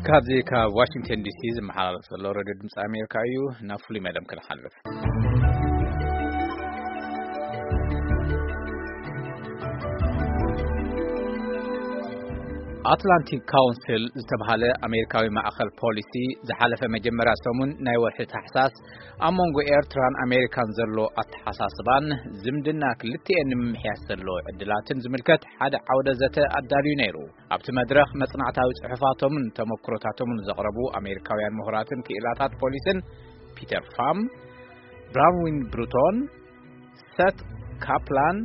ካብዚ ካብ ዋሽንግተን ዲሲ ዝመሓላለፍ ዘሎ ሬድዮ ድምፂ ኣሜሪካ እዩ። ናብ ፍሉይ መደብ ክንሓልፍ። ኣትላንቲክ ካውንስል ዝተባህለ ኣሜሪካዊ ማእኸል ፖሊሲ ዝሓለፈ መጀመርያ ሰሙን ናይ ወርሒ ታሕሳስ ኣብ መንጎ ኤርትራን ኣሜሪካን ዘሎ ኣተሓሳስባን ዝምድና ክልቲኤን ንምምሕያሽ ዘሎ ዕድላትን ዝምልከት ሓደ ዓውደ ዘተ ኣዳልዩ ነይሩ። ኣብቲ መድረኽ መጽናዕታዊ ጽሑፋቶምን ተመክሮታቶምን ዘቕረቡ ኣሜሪካውያን ምሁራትን ክኢላታት ፖሊስን ፒተር ፋም፣ ብራንዊን ብሩቶን፣ ሰት ካፕላን፣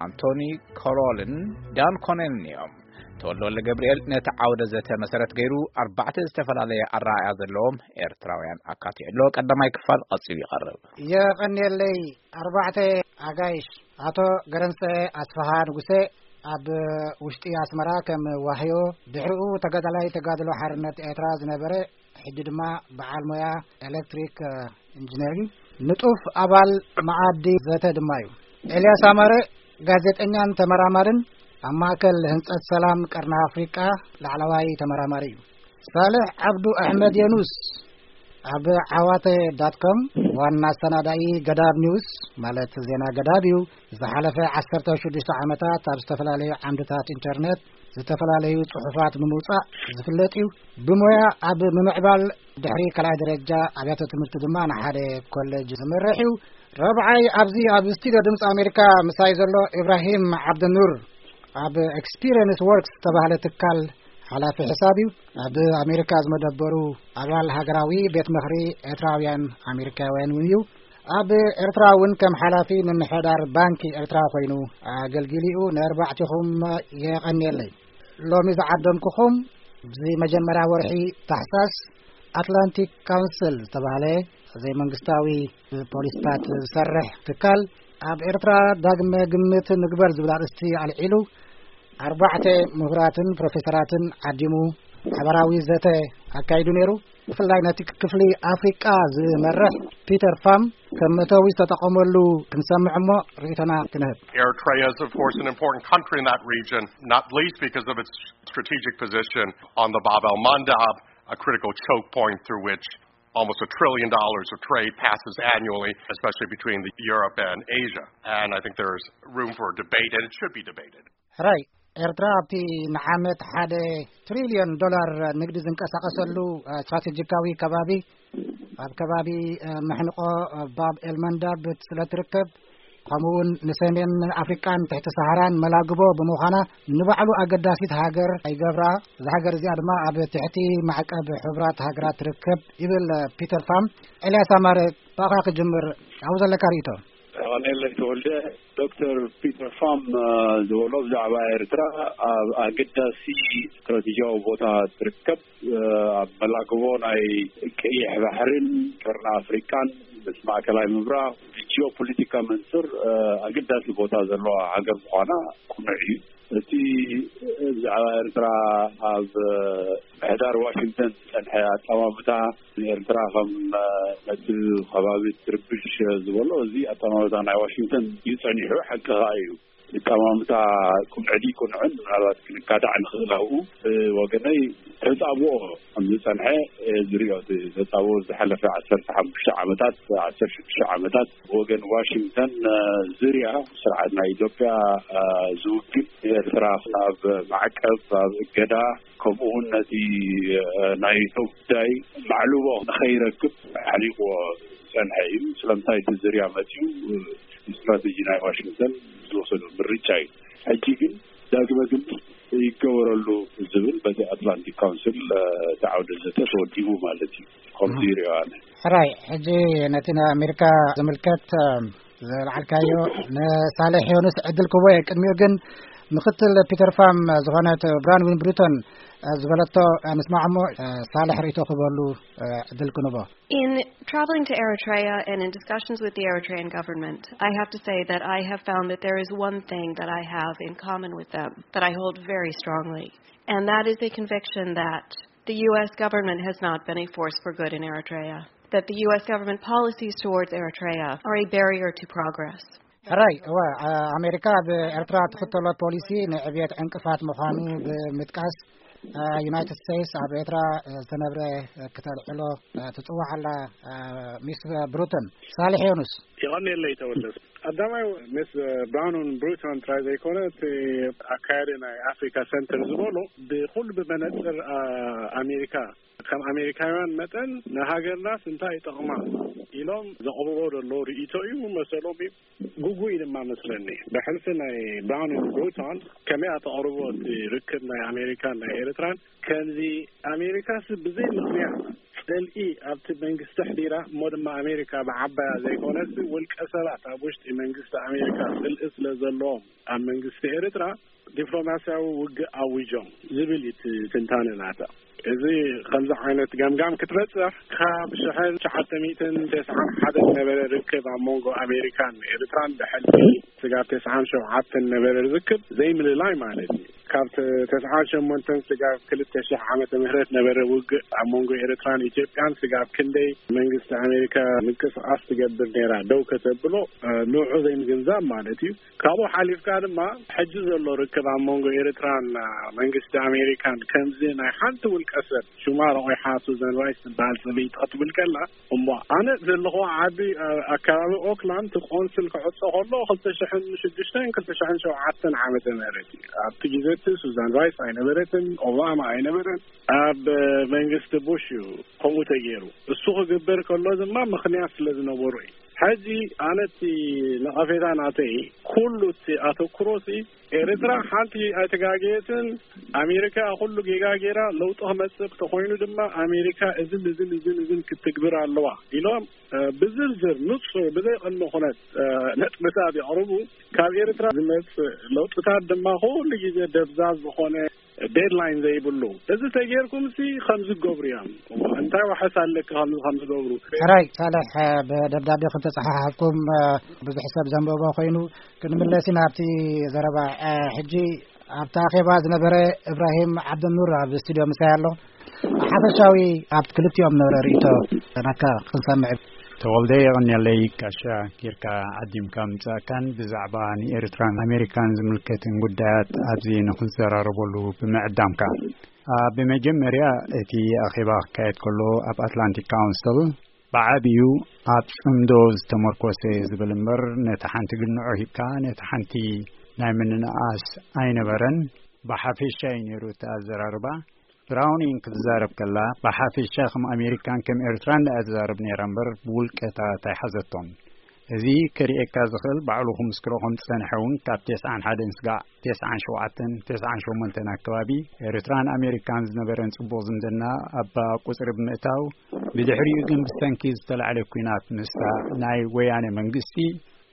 ኣንቶኒ ኮሮልን ዳን ኮነልን እዮም። ተወልደ ወልደ ገብርኤል ነቲ ዓውደ ዘተ መሰረት ገይሩ ኣርባዕተ ዝተፈላለየ ኣረኣእያ ዘለዎም ኤርትራውያን ኣካቲዑ ኣሎ። ቀዳማይ ክፋል ቀጺሉ ይቐርብ። የቐንየለይ። ኣርባዕተ ኣጋይሽ፣ ኣቶ ገረንሰ ኣስፍሃ ንጉሴ፣ ኣብ ውሽጢ ኣስመራ ከም ዋህዮ፣ ድሕሪኡ ተጋዳላይ ተጋድሎ ሓርነት ኤርትራ ዝነበረ፣ ሕጂ ድማ በዓል ሞያ ኤሌክትሪክ፣ እ፣ ኢንጂነር እዩ። ንጡፍ ኣባል መኣዲ ዘተ ድማ እዩ። ኤልያስ ኣማረ፣ ጋዜጠኛን ተመራማርን፣ ኣብ ማእከል ህንጸት ሰላም ቀርኒ ኣፍሪቃ ላዕለዋይ ተመራማሪ እዩ። ሳልሕ ዓብዱ ኣሕመድ የኑስ፣ ኣብ ዓዋተ ዳት ኮም ዋና ኣሰናዳኢ ገዳብ ኒውስ፣ ማለት ዜና ገዳብ እዩ። ዝሓለፈ ዓሰርተ ሽዱሽተ ዓመታት ኣብ ዝተፈላለዩ ዓምድታት ኢንተርነት ዝተፈላለዩ ጽሑፋት ብምውጻእ ዝፍለጥ እዩ። ብሞያ ኣብ ምምዕባል ድሕሪ ካልኣይ ደረጃ ኣብያተ ትምህርቲ ድማ ንሓደ ኮሌጅ ዝመርሕ እዩ። ረብዓይ ኣብዚ ኣብ ስቱዲዮ ድምፂ ኣሜሪካ ምሳይ ዘሎ ኢብራሂም ዓብደኑር ኣብ ኤክስፒሪየንስ ወርክስ ዝተባህለ ትካል ሓላፊ ሕሳብ እዩ። ኣብ ኣሜሪካ ዝመደበሩ ኣባል ሃገራዊ ቤት ምኽሪ ኤርትራውያን ኣሜሪካውያን እውን እዩ። ኣብ ኤርትራ እውን ከም ሓላፊ ምምሕዳር ባንኪ ኤርትራ ኮይኑ ኣገልጊሉ እዩ። ንኣርባዕቲኹም የቐንየለይ። ሎሚ ዝዓደምኩኹም፣ እዚ መጀመርያ ወርሒ ታሕሳስ ኣትላንቲክ ካውንስል ዝተባህለ ዘይመንግስታዊ ፖሊስታት ዝሰርሕ ትካል፣ ኣብ ኤርትራ ዳግመ ግምት ንግበር ዝብል ኣርእስቲ ኣልዒሉ፣ ኣርባዕተ ምሁራትን ፕሮፌሰራትን ዓዲሙ ሓበራዊ ዘተ ኣካይዱ ነይሩ። ብፍላይ ነቲ ክፍሊ ኣፍሪቃ ዝመርሕ ፒተር ፋም ከም መእተዊ ዝተጠቐመሉ ክንሰምዕ እሞ ርኢቶና ክንህብ። Eritrea is, of course, an important country in that region, not least because of its strategic position on the Bab el Mandab, a critical choke point through which almost a trillion dollars of trade passes annually, especially between the Europe and Asia. And I think there's room for debate, and it should be debated. ሕራይ፣ ኤርትራ ኣብቲ ንዓመት ሓደ ትሪልዮን ዶላር ንግዲ ዝንቀሳቐሰሉ፣ እ፣ ስትራቴጂካዊ ከባቢ፣ ኣብ ከባቢ፣ እ፣ መሕንቆ፣ እ፣ ባብ ኤልመንዳብ ስለ ትርከብ፣ ከምኡ እውን ንሰሜን ኣፍሪቃን ትሕቲ ሰሃራን መላግቦ ብምዃና፣ ንባዕሉ ኣገዳሲት ሃገር ይገብራ። እዛ ሃገር እዚኣ ድማ ኣብ ትሕቲ ማዕቀብ ሕቡራት ሃገራት ትርከብ ይብል ፒተር ፋም። ኤልያስ ኣማረ፣ ብኣኻ ክጅምር፣ ኣብኡ ዘለካ ርእይቶ። ቀኔለይ ተወልደ፣ ዶክተር ፒተር ፋም፣ እ፣ ዝበሎ ብዛዕባ ኤርትራ ኣብ ኣገዳሲ ስትራቴጂያዊ ቦታ ትርከብ፣ እ፣ ኣብ መላግቦ ናይ ቀይሕ ባሕርን ቀርኒ ኣፍሪቃን ምስ ማእከላይ ምብራቕ ብጂኦፖለቲካ መንጽር፣ እ፣ ኣገዳሲ ቦታ ዘለዋ ሃገር ምዃና ቅኑዕ እዩ። እቲ ብዛዕባ ኤርትራ ኣብ ምሕዳር ዋሽንግተን ዝጸንሐ ኣጠማምታ ንኤርትራ ከም ነቲ ከባቢ ትርብሽ ዝበሎ፣ እዚ ኣጠማምታ ናይ ዋሽንግተን እዩ ጸኒሑ፣ ሓቂ ኸኣ እዩ። ኣጠማምታ ቅኑዕ ድዩ ቅኑዕን ምናልባት ክንካዳዕ ንኽእል ኣብኡ። ብወገነይ ተጻብኦ ከም ዝጸንሐ እየ ዝሪኦ። እቲ ተጻብኦ ዝሓለፈ ዓሰርተ ሓሙሽተ ዓመታት፣ ዓሰርተ ሽዱሽተ ዓመታት ብወገን ዋሽንግተን፣ እ፣ ዝርያ ስርዓት ናይ ኢትዮጵያ፣ እ፣ ዝውግን ንኤርትራ ኣብ ማዕቀብ፣ ኣብ እገዳ፣ ከምኡ እውን ነቲ፣ እ፣ ናይቶ ጉዳይ ማዕልቦ ንኸይረክብ ኣሕሊቕዎ ዝጸንሐ እዩ። ስለምንታይ እቲ ዝርያ መጺኡ፣ እ፣ ስትራቴጂ ናይ ዋሽንግተን ዝወሰዶ ምርጫ እዩ። ሕጂ ግን ዳግመ ግምት ይገበረሉ ዝብል በቲ ኣትላንቲክ ካውንስል፣ እ፣ እቲ ዓውደ ዘተ ተወዲቡ ማለት እዩ። ከምዚ ይሪኦ ኣነ። ሕራይ፣ ሕጂ ነቲ ናይ ኣሜሪካ ዝምልከት፣ እ፣ ዘልዓልካዮ ንሳልሕ ዮኑስ ዕድል ክቦ እየ። ቅድሚኡ ግን ምክትል ፒተር ፋም ዝኾነት ብራንዊን ብሩቶን፣ እ፣ ዝበለቶ፣ እ፣ ንስማዕ እሞ፣ እ፣ ሳልሕ ርእይቶ ክበሉ፣ እ፣ ዕድል ክንቦ። In traveling to Eritrea and in discussions with the Eritrean government, I have to say that I have found that there is one thing that I have in common with them that I hold very strongly, and that is a conviction that the U S government has not been a force for good in Eritrea, that the U S government policies towards Eritrea are a barrier to progress. ሕራይ እወ፣ ኣሜሪካ ኣብ ኤርትራ ትኽተሎ ፖሊሲ ንዕብየት ዕንቅፋት ምዃኑ ብምጥቃስ፣ ዩናይትድ ስቴትስ ኣብ ኤርትራ ዝተነብረ ክተልዕሎ ትጽዋዕ ኣላ። ሚስ ብሩተን፣ ሳልሕ ዮኑስ። ይቐንየለይ ተወለስ። ቀዳማይ ምስ ብራውንን ብሩተን ጥራይ ዘይኮነ፣ እቲ ኣካያዲ ናይ ኣፍሪካ ሰንተር ዝበሎ ብኩሉ ብመነፅር ኣሜሪካ፣ ከም ኣሜሪካውያን መጠን ንሃገርናስ እንታይ ይጠቕማ ኢሎም ዘቕርቦ ዘሎ ርእይቶ እዩ። መሰሎም እዩ። ግጉይ ድማ መስለኒ። ብሕልፊ ናይ ብራውንን ብሩተን ከመይ ኣተቕርቦ እቲ ርክብ ናይ ኣሜሪካን ናይ ኤርትራን ከምዚ ኣሜሪካስ ብዘይ ምኽንያት ጽልኢ ኣብቲ መንግስቲ ኣሕዲራ፣ እሞ ድማ ኣሜሪካ ብዓባያ ዘይኮነስ ውልቀ ሰባት ኣብ ውሽጢ መንግስቲ ኣሜሪካ ጽልኢ ስለ ዘለዎም ኣብ መንግስቲ ኤርትራ ዲፕሎማስያዊ ውግእ ኣዊጆም ዝብል እዩ እቲ ትንታነ ናታ። እዚ ከምዚ ዓይነት ገምጋም ክትበጽሕ ካብ ሽሕን ትሽዓተ ሚእትን ተስዓን ሓደን ነበረ ርክብ ኣብ መንጎ ኣሜሪካን ኤርትራን ብሕልፊ ስጋብ ተስዓን ሸውዓተን ነበረ ርክብ ዘይምልላይ ማለት እዩ። ካብ ተ-፣ ተስዓን ሸሞንተን ስጋብ ክልተ ሽሕ ዓመተ ምህረት ነበረ ውግእ ኣብ መንጎ ኤርትራን ኢትዮጵያን ስጋብ ክንደይ መንግስቲ ኣሜሪካ ምንቅስቃስ ትገብር ነይራ ደው ከተብሎ፣ እ፣ ንዑ ዘይምግንዛብ ማለት እዩ። ካብኡ ሓሊፍካ ድማ ሕጂ ዘሎ ርክብ ኣብ መንጎ ኤርትራን መንግስቲ ኣሜሪካን ከምዚ ናይ ሓንቲ ውልቀ ሰብ ሽማ ረቑሓ ሱዛን ራይስ ትበሃል ጽብይቲ ክትብል ከላ፣ እሞ ኣነ ዘለኹ ዓዲ፣ እ፣ ኣከባቢ ኦክላንድ እቲ ቆንስል ክዕጾ ከሎ ክልተ ሽሕን ሽዱሽተን ክልተ ሽሕን ሸውዓተን ዓመተ ምህረት እዩ። ኣብቲ ግዜ እቲ ሱዛን ራይስ ኣይነበረትን፣ ኦባማ ኣይነበረን። ኣብ መንግስቲ ቡሽ እዩ ከምኡ ተገይሩ። እሱ ክግበር ከሎ ድማ ምኽንያት ስለ ዝነበሩ እዩ። ሕጂ ኣነ እቲ ነቐፌታ ናተይ ኩሉ እቲ ኣተኩሮ ሲ ኤርትራ ሓንቲ ኣይተጋገየትን። ኣሜሪካ ኩሉ ጌጋ ጌራ ለውጢ ክመጽእ ተኾይኑ ድማ ኣሜሪካ እዝን እዝን እዝን እዝን ክትግብር ኣለዋ ኢሎም፣ እ፣ ብዝርዝር ንጹር ብዘይ ቅድመ ኩነት፣ እ፣ ነጥብታት የቕርቡ። ካብ ኤርትራ ዝመጽእ ለውጥታት ድማ ኩሉ ግዜ ደብዛዝ ዝኾነ ዴድላይን ዘይብሉ። እዚ ተጌርኩም ሲ ከምዚ ገብሩ እዮም። እንታይ ዋሕስ ኣለካ ከምዚ ከምዚ ገብሩ? ሕራይ ሳልሕ፣ እ፣ ብደብዳቤ ክተጸሓሓፍኩም፣ እ፣ ብዙሕ ሰብ ዘንበቦ ኮይኑ ክንምለስ ኢና ኣብቲ ዘረባ። እ፣ ሕጂ ኣብቲ ኣኼባ ዝነበረ እብራሂም ዓብደኑር ኣብ ስቱድዮ ምሳይ ኣሎ። ሓፈሻዊ ኣብ ክልቲኦም ዝነበረ ርእይቶ ናትካ ክንሰምዕ። ተወልደ፣ የቐንየለይ፣ ጋሻ ጌርካ ዓዲምካ ምጻእካን ብዛዕባ ንኤርትራን ኣሜሪካን ዝምልከትን ጉዳያት ኣብዚ ንኽንዘራረበሉ ብምዕዳምካ። ኣ፣ ብመጀመርያ፣ እቲ ኣኼባ ክካየድ ከሎ ኣብ ኣትላንቲክ ካውንስል ብዓቢኡ ኣብ ጽምዶ ዝተመርኮሰ ዝብል እምበር፣ ነቲ ሓንቲ ግንዖ ሂብካ ነቲ ሓንቲ ናይ ምንእኣስ ኣይነበረን። ብሓፈሻ እዩ ነይሩ እቲ ኣዘራርባ። ብራውኒንግ ክትዛረብ ከላ፣ ብሓፈሻ ከም ኣሜሪካን ከም ኤርትራን ደኣ ትዛረብ ነይራ እምበር፣ ብውልቀታት ኣይሓዘቶን። እዚ ከርእየካ ዝኽእል፣ ባዕሉ ክምስክሮ ከም ዝጸንሐ እውን፣ ካብ ተስዓን ሓደን ስጋዕ ተስዓን ሸውዓተን፣ ተስዓን ሸሞንተን ኣከባቢ፣ ኤርትራን ኣሜሪካን ዝነበረን ጽቡቕ ዝምድና ኣብ ቁጽሪ ብምእታው፣ ብድሕሪኡ ግን ብሰንኪ ዝተላዕለ ኲናት ምስታ ናይ ወያነ መንግስቲ፣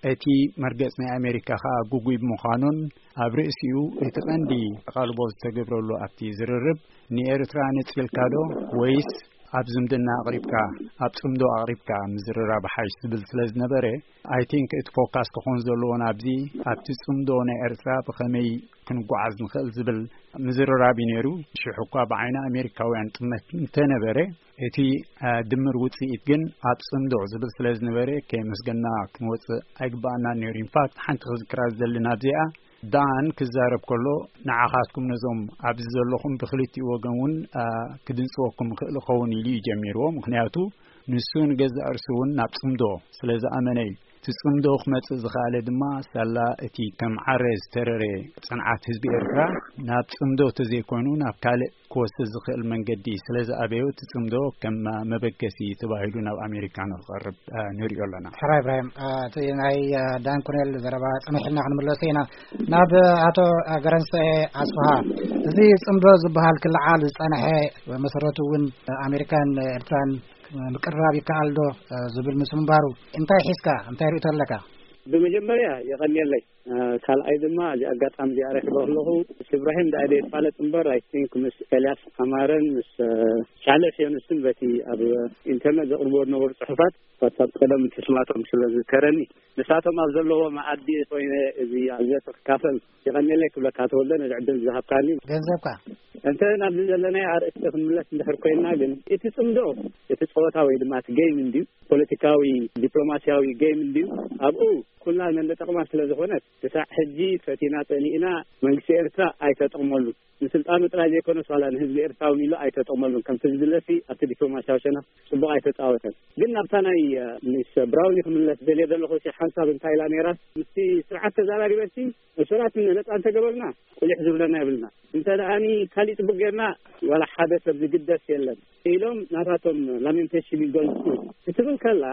እቲ መርገጽ ናይ ኣሜሪካ ከኣ ግጉይ ብምዃኑን፣ ኣብ ርእሲኡ እቲ ቀንዲ ኣቓልቦ ዝተገብረሉ ኣብቲ ዝርርብ፣ ንኤርትራ ነጺልካ ዶ ወይስ ኣብ ዝምድና ኣቕሪብካ፣ ኣብ ጽምዶ ኣቕሪብካ ምዝርራብ ሓይሽ ዝብል ስለ ዝነበረ፣ ኣይ ቲንክ እቲ ፎካስ ክኾን ዘለዎ ናብዚ፣ ኣብቲ ጽምዶ ናይ ኤርትራ ብኸመይ ክንጓዓዝ ንኽእል ዝብል ምዝርራብ እዩ ነይሩ። ሽሕ እኳ ብዓይኒ ኣሜሪካውያን ጥመት እንተነበረ፣ እቲ፣ አ፣ ድምር ውጽኢት ግን ኣብ ጽምዶ ዝብል ስለ ዝነበረ፣ ከየመስገና ክንወጽእ ኣይግባኣናን ነይሩ። ኢንፋክት፣ ሓንቲ ክዝክራ ዝደሊ ናብዚኣ፣ ዳን ክዛረብ ከሎ፣ ንዓኻትኩም ነዞም ኣብዚ ዘለኹም ብክልቲኡ ወገን እውን፣ አ፣ ክድንጽወኩም ይኽእል ይኸውን ኢሉ እዩ ጀሚርዎ። ምኽንያቱ፣ ንሱ ንገዛእ ርእሱ እውን ናብ ጽምዶ ስለ ዝኣመነ እዩ። እቲ ጽምዶ ክመጽእ ዝኸኣለ ድማ፣ ሳላ እቲ ከም ዓረ ዝተረረ ጽንዓት ህዝቢ ኤርትራ፣ ናብ ጽምዶ ተዘይኮይኑ፣ ናብ ካልእ ክወስድ ዝኽእል መንገዲ ስለ ዝኣበዮ፣ እቲ ጽምዶ ከም መበገሲ ተባሂሉ ናብ ኣሜሪካ ንኽቐርብ፣ አ፣ ንሪኦ ኣለና። ሕራይ እብራሂም፣ አ፣ እቲ ናይ፣ አ፣ ዳን ኮኔል ዘረባ ጽንሕ ኢልና ክንምለሶ ኢና። ናብ ኣቶ ገረንሰኤ ኣስፍሃ፣ እዚ ጽምዶ ዝበሃል ክለዓል ዝጸንሐ፣ መሰረቱ እውን ኣሜሪካን ኤርትራን ምቅርራብ ይከኣል ዶ፣ እ፣ ዝብል ምስ ምንባሩ፣ እንታይ ሒዝካ፣ እንታይ ርእይቶ ኣለካ? ብመጀመርያ የቐንየለይ። እ፣ ካልኣይ ድማ፣ እዚ ኣጋጣሚ እዚኣ ረኺበ ከለኹ፣ ምስ እብራሂም ደኣ ደየፋለጥ እምበር፣ ኣይ ቲንክ ምስ ኤልያስ ኣማረን ምስ፣ እ፣ ሳልሕ ዮኑስን በቲ ኣብ ኢንተርነት ዘቕርብዎ ዝነበሩ ጽሑፋት፣ ዋትሳፕ ቀደም ምስማቶም ስለ ዝዝከረኒ፣ ንሳቶም ኣብ ዘለዎ መኣዲ ኮይነ እዚ ኣዘተ ክካፈል የቐንየለይ ክብለካ ተወልደ፣ ነዚ ዕድል ዝሃብካኒ። ገንዘብካ። እንተ ናብዚ ዘለናዮ ኣርእስቲ ክንምለስ እንድሕር ኮይንና ግን፣ እቲ ጽምዶ፣ እቲ ጸወታ ወይ ድማ እቲ ጌም እንድዩ፣ ፖለቲካዊ፣ ዲፕሎማስያዊ ጌም እንድዩ። ኣብኡ ኩላ መንደ ጠቕማ ስለ ዝኾነት፣ ክሳዕ ሕጂ ፈቲና ጸሊእና መንግስቲ ኤርትራ ኣይተጠቕመሉ። ንስልጣኑ ጥራይ ዘይኮነስ ዋላ ንህዝቢ ኤርትራ እውን ኢሉ ኣይተጠቕመሉን። ከምቲ ዝድለሲ ኣብቲ ዲፕሎማሲያዊ ሸነኽ ጽቡቕ ኣይተጻወተን። ግን ናብታ ናይ፣ እ፣ ምስ ብራውኒ ክምለስ ደልየ ዘለኹ ሲ ሓንሳብ እንታይ ኢላ ነይራ? ምስቲ ስርዓት ተዛራሪበሲ እሱራት ነጻ እንተገበርና ቁሊሕ ዝብለና የብልና። እንተ ደኣኒ ካሊእ ጽቡቕ ጌርና ዋላ ሓደ ሰብ ዝግደስ የለን ኢሎም ናታቶም ላሜንቴሽን ይገልጹ ክትብል ከላ፣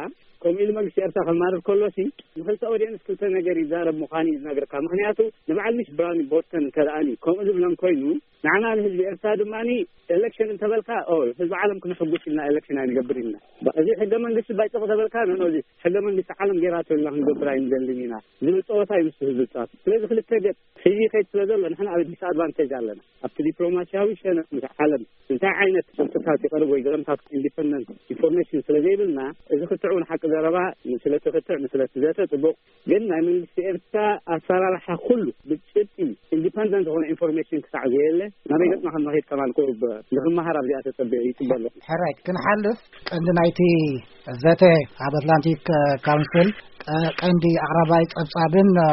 ከምኡ ኢሉ መንግስቲ ኤርትራ ከማርር ከሎሲ ንክልተ ኦዲየንስ ክልተ ነገር ይዛረብ ምዃኑ እዩ ዝነግረካ። ምኽንያቱ ንበዓል ሚስ ብራውኒ ቦስተን እንተ ደኣኒ ከምኡ ዝብለን ኮይኑ፣ ንዓና ንህዝቢ ኤርትራ ድማኒ ኤሌክሽን እንተበልካ፣ ኦ፣ ህዝቢ ዓለም ክነሕጉስ ኢልና ኤሌክሽን ኣይንገብር ኢልና። እዚ ሕገ መንግስቲ ባይጠቕ ተበልካ፣ ኖ፣ ኖ፣ እዚ ሕገ መንግስቲ ዓለም ጌራቶ ኢልና ክንገብር ኣይንደልን ኢና ዝብል ጸወታ እዩ ምስ ህዝቢ ጻፍ። ስለዚ ክልተ ገጽ ሒዙ ይኸይድ ስለ ዘሎ፣ ንሕና ኣብ ዲስኣድቫንቴጅ ኣለና። ኣብቲ ዲፕሎማሲያዊ ሸነኽ ምስ ዓለም እንታይ ዓይነት ስልትታት ይቐርብ ወይ ገለምታት ኢንዲፐንደንት ኢንፎርሜሽን ስለ ዘይብልና፣ እዚ ክትዕ እውን ሓቂ ዘረባ፣ ንስለቲ ክትዕ፣ ንስለቲ ዘተ ጽቡቕ። ግን ናይ መንግስቲ ኤርትራ ኣሰራርሓ ኩሉ ብጭብጢ ኢንዲፐንደንት ዝኾነ ኢንፎርሜሽን ክሳዕ ዘየለ፣ ናበይ ገጽና ከም ንኸይድ ከማን ቁሩብ ንኽመሃር ኣብዚኣ ተጸቢዐ ይጽበ ኣለኹ። ሕራይ ክንሓልፍ፣ ቀንዲ ናይቲ ዘተ ኣብ ኣትላንቲክ፣ እ፣ ካውንስል፣ እ፣ ቀንዲ ኣቕራባይ ጸብጻብን፣ እ፣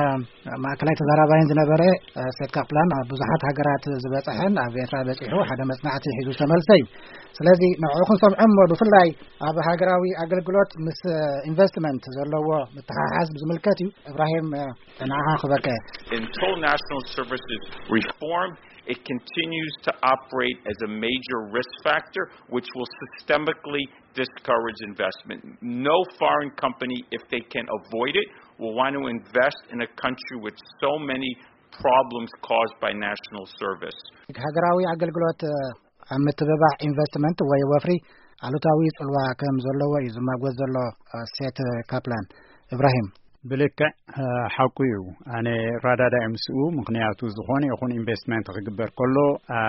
ማእከላይ ተዛራባይን ዝነበረ፣ እ፣ ሴት ካፕላን ኣብ ብዙሓት ሃገራት ዝበጽሐን ኣብ ኤርትራ በጺሑ ሓደ መጽናዕቲ ሒዙ ዝተመልሰ እዩ። ስለዚ ንዕኡ ክንሰምዖ እሞ ብፍላይ ኣብ ሃገራዊ ኣገልግሎት ምስ፣ እ፣ ኢንቨስትመንት ዘለዎ ምትሓሓዝ ብዝምልከት እዩ። እብራሂም፣ እ፣ ንዓኻ ክበከ። Until national services reform, it continues to operate as a major risk factor, which will systemically discourage investment. No foreign company, if they can avoid it, will want to invest in a country with so many problems caused by national service. ሃገራዊ ኣገልግሎት፣ እ፣ ኣብ ምትብባዕ ኢንቨስትመንት ወይ ወፍሪ ኣሉታዊ ጽልዋ ከም ዘለዎ እዩ ዝማጎት ዘሎ፣ እ፣ ሴት ካፕላን። እብራሂም። ብልክዕ፣ እ፣ ሓቁ እዩ። ኣነ ራዳዳ እየ ምስኡ። ምኽንያቱ ዝኾነ ይኹን ኢንቨስትመንት ክግበር ከሎ፣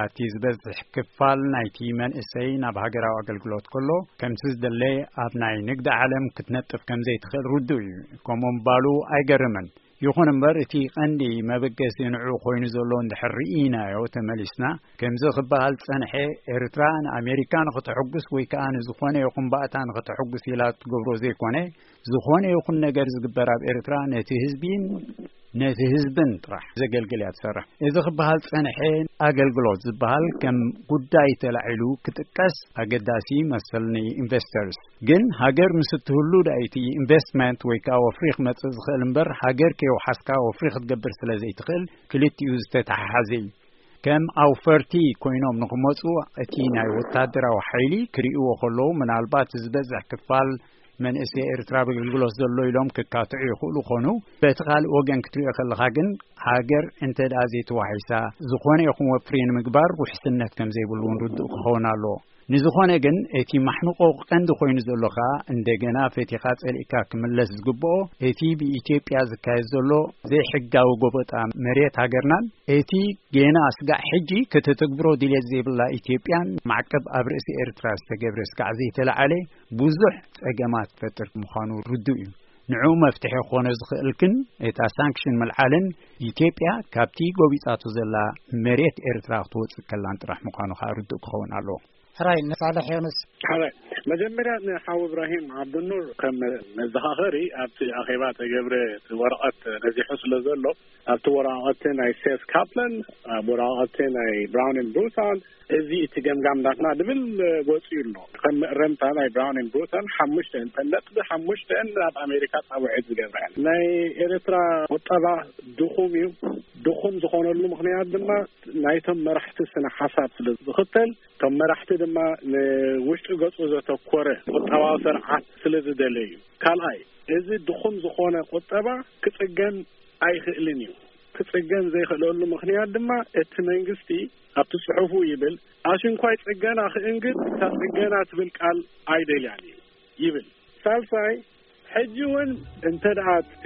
እቲ ዝበዝሕ ክፋል ናይቲ መንእሰይ ናብ ሃገራዊ ኣገልግሎት ከሎ፣ ከምቲ ዝደለ ኣብ ናይ ንግዲ ዓለም ክትነጥፍ ከም ዘይትኽእል ርዱእ እዩ። ከምኡ ምባሉ ኣይገርምን። ይኹን እምበር፣ እቲ ቀንዲ መበገሲ ንዑ ኮይኑ ዘሎ እንድሕር ርኢናዮ ተመሊስና፣ ከምዚ ክበሃል ጸንሐ፣ ኤርትራ ንኣሜሪካ ንኽተሐጉስ ወይ ከኣ ንዝኾነ ይኹን ባእታ ንኽተሐጉስ ኢላ ትገብሮ ዘይኮነ፣ ዝኾነ ይኹን ነገር ዝግበር ኣብ ኤርትራ ነቲ ህዝቢን ነቲ ህዝብን ጥራሕ ዘገልግል እያ ትሰርሕ። እዚ ክበሃል ጸንሐ፣ ኣገልግሎት ዝበሃል ከም ጉዳይ ተላዒሉ ክጥቀስ ኣገዳሲ ይመስል ንኢንቨስተርስ። ግን ሃገር ምስ እትህሉ ዳኣ እቲ ኢንቨስትመንት ወይ ከኣ ወፍሪ ክመጽእ ዝኽእል እምበር፣ ሃገር ከይወሓስካ ወፍሪ ክትገብር ስለ ዘይትኽእል፣ ክልቲኡ ዝተተሓሓዘ እዩ። ከም ኣውፈርቲ ኮይኖም ንኽመጹ፣ እቲ ናይ ወታደራዊ ሓይሊ ክርእይዎ ከለዉ፣ ምናልባት ዝበዝሕ ክፋል መንእሰይ ኤርትራ ኣብ ኣገልግሎት ዘሎ ኢሎም ክካትዑ ይኽእሉ ኾኑ፣ በቲ ካልእ ወገን ክትሪኦ ከለኻ ግን፣ ሃገር እንተ ደኣ ዘይተዋሒሳ፣ ዝኾነ ይኹን ወፍሪ ንምግባር ውሕስነት ከም ዘይብሉ እውን ርዱእ ክኸውን ኣለዎ። ንዝኾነ ግን፣ እቲ ማሕንቆ ቀንዲ ኮይኑ ዘሎ ከኣ፣ እንደገና ፈቲኻ ጸሊእካ ክምለስ ዝግብኦ፣ እቲ ብኢትዮጵያ ዝካየድ ዘሎ ዘይሕጋዊ ጎበጣ መሬት ሃገርናን፣ እቲ ጌና ስጋዕ ሕጂ ክትትግብሮ ድልየት ዘይብላ ኢትዮጵያን፣ ማዕቀብ ኣብ ርእሲ ኤርትራ ዝተገብረ ስጋዕ ዘይተለዓለ ብዙሕ ጸገማት ፈጥር ምዃኑ ርዱእ እዩ። ንዕኡ መፍትሒ ክኾኖ ዝኽእል ግን፣ እታ ሳንክሽን ምልዓልን ኢትዮጵያ ካብቲ ጎቢጻቶ ዘላ መሬት ኤርትራ ክትወጽእ ከላን ጥራሕ ምዃኑ ከኣ ርዱእ ክኸውን ኣለዎ። ሕራይ፣ ንሳልሕ ዮኑስ። ሕራይ፣ መጀመርያ ንሓው እብራሂም ዓብዱኑር ከም መዘኻኸሪ ኣብቲ ኣኼባ ተገብረ እቲ ወረቐት ነዚሑ ስለ ዘሎ፣ ኣብቲ ወረቐት ናይ ሴት ካፕላን፣ ኣብ ወረቐት ናይ ብራውን ኤንድ ብሩታል፣ እዚ እቲ ገምጋም ናትና ድብል ወፂኡ ኣሎ። ከም መእረምታ ናይ ብራውን ኤንድ ብሩታል ሓሙሽተ ነጥቢ ሓሙሽተ ኣብ ኣሜሪካ ፃውዒት ዝገብረን ናይ ኤርትራ ቁጠባ ድኹም እዩ። ድኹም ዝኾነሉ ምኽንያት ድማ ናይቶም መራሕቲ ስነ ሓሳብ ስለ ዝኽተል፣ እቶም መራሕቲ ድማ ንውሽጢ ገፁ ዘተኮረ ቁጠባዊ ስርዓት ስለ ዝደለዩ እዩ። ካልኣይ፣ እዚ ድኹም ዝኾነ ቁጠባ ክፅገን ኣይኽእልን እዩ። ክፅገን ዘይኽእለሉ ምኽንያት ድማ እቲ መንግስቲ ኣብቲ ፅሑፉ ይብል፣ ኣሽንኳይ ፅገና ክእንግድ እታ ፅገና ትብል ቃል ኣይደልያን እዩ ይብል። ሳልሳይ፣ ሕጂ እውን እንተ ደኣ እቲ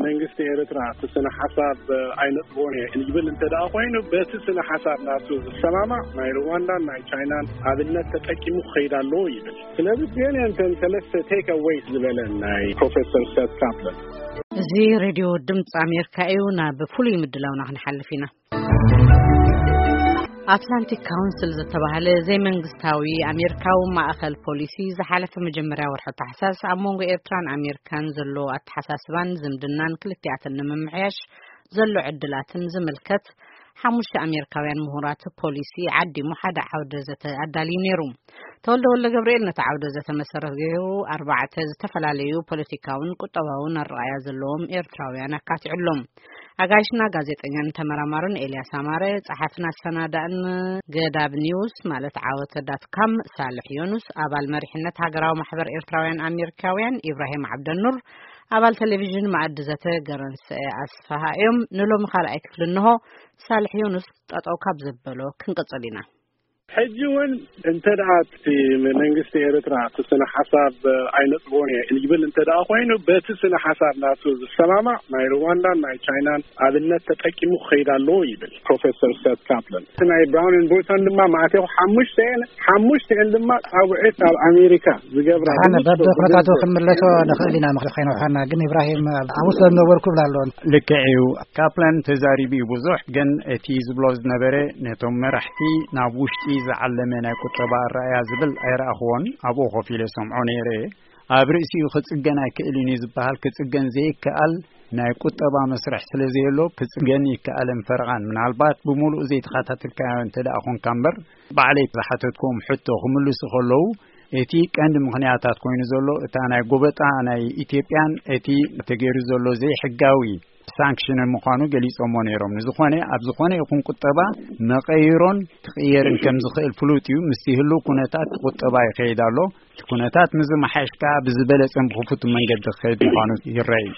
መንግስቲ ኤርትራ እቲ ስነ ሓሳብ ኣይነጥቦን እየ ይብል እንተ ደኣ ኮይኑ፣ በቲ ስነ ሓሳብ ናቱ ዝሰማማዕ ናይ ሩዋንዳን ናይ ቻይናን ኣብነት ተጠቂሙ ክኸይድ ኣለዎ ይብል። ስለዚ እዚአን እየን እተን ሰለስተ ቴክ ኣዌይስ ዝበለን ናይ ፕሮፌሰር ሴት ካፕላን። እዚ ሬድዮ ድምፂ ኣሜሪካ እዩ። ናብ ፍሉይ ምድላውና ክንሓልፍ ኢና። ኣትላንቲክ ካውንስል ዝተባህለ ዘይመንግስታዊ ኣሜሪካዊ ማእኸል ፖሊሲ፣ ዝሓለፈ መጀመርያ ወርሒ ታሕሳስ ኣብ መንጎ ኤርትራን ኣሜሪካን ዘሎ ኣተሓሳስባን ዝምድናን ክልቲኣተን ንምምሕያሽ ዘሎ ዕድላትን ዝምልከት ሓሙሽተ ኣሜሪካውያን ምሁራት ፖሊሲ ዓዲሙ ሓደ ዓውደ ዘተ ኣዳልዩ ነይሩ። ተወልደ ወልደ ገብርኤል ነቲ ዓውደ ዘተ መሰረት ገይሩ፣ ኣርባዕተ ዝተፈላለዩ ፖለቲካውን ቁጠባውን ኣረኣእያ ዘለዎም ኤርትራውያን ኣካቲዑሎም። ኣጋይሽና ጋዜጠኛን ተመራማርን ኤልያስ ኣማረ፣ ጸሓፍን ኣሰናዳእን ገዳብ ኒውስ ማለት ዓወተ ዳት ካም ሳልሕ ዮኑስ፣ ኣባል መሪሕነት ሃገራዊ ማሕበር ኤርትራውያን ኣሜሪካውያን ኢብራሂም ዓብደኑር፣ ኣባል ቴሌቪዥን መኣዲ ዘተ ገረንሰ ኣስፋሃ እዮም። ንሎሚ ካልኣይ ክፍሊ እንሆ። ሳልሕ ዮኑስ ጠጠው ካብ ዘበሎ ክንቅጽል ኢና። ሕጂ እውን እንተ ደኣ እቲ መንግስቲ ኤርትራ እቲ ስነ ሓሳብ ኣይነጽጎን እየ ይብል እንተ ደኣ ኮይኑ፣ በቲ ስነ ሓሳብ ናቱ ዝሰማማዕ ናይ ሩዋንዳን ናይ ቻይናን ኣብነት ተጠቂሙ ክኸይድ ኣለዎ ይብል ፕሮፌሰር ሰት ካፕለን። እቲ ናይ ብራውን ኤንድ ቦይተን ድማ ማእቴኹ ሓሙሽተ እየን፣ ሓሙሽተ እየን ድማ ጻውዒት ኣብ ኣሜሪካ ዝገብራ ደሓን ብንጹር በብኹነታቱ ዝገልጽ። ክንምለሶ ንኽእል ኢና፣ ምኽሪ ከይነውሓና። ግን ኢብራሂም፣ ኣብኡ ስለ ዝነበርኩ ብላ ኣለዎ። ልክዕ እዩ። ካፕላን ተዛሪቡ እዩ ብዙሕ፣ ግን እቲ ዝብሎ ዝነበረ ነቶም መራሕቲ ናብ ውሽጢ ዝዓለመ ናይ ቁጠባ ኣረኣያ ዝብል ኣይረኣኽዎን። ኣብኡ ኮፍ ኢለ ሰምዖ ነይረ። ኣብ ርእሲኡ ክጽገን ኣይክእልን እዩ ዝበሃል፣ ክጽገን ዘይከኣል ናይ ቁጠባ መስርሕ ስለ ዘየሎ፣ ክጽገን ይከኣልን ፈረቓን። ምናልባት ብምሉኡ ዘይተኸታተልካዮ እንተ ደኣ ኾንካ እምበር፣ ባዕለይ ዝሓተትክዎም ሕቶ ክምልሱ ከለዉ፣ እቲ ቀንዲ ምኽንያታት ኮይኑ ዘሎ፣ እታ ናይ ጎበጣ ናይ ኢትዮጵያን እቲ ተገይሩ ዘሎ ዘይሕጋዊ ሳንክሽንን ምዃኑ ገሊጾሞ ነይሮም። ንዝኾነ፣ ኣብ ዝኾነ ይኹን ቁጠባ መቐይሮን ክቕየርን ከም ዝኽእል ፍሉጥ እዩ። ምስቲ ህሉው ኩነታት ቁጠባ ይኸይድ ኣሎ። እቲ ኩነታት ምስ ዝመሓየሽ ከኣ ብዝበለጸን ብኽፉት መንገዲ ክኸይድ ምዃኑ ይረኣይ።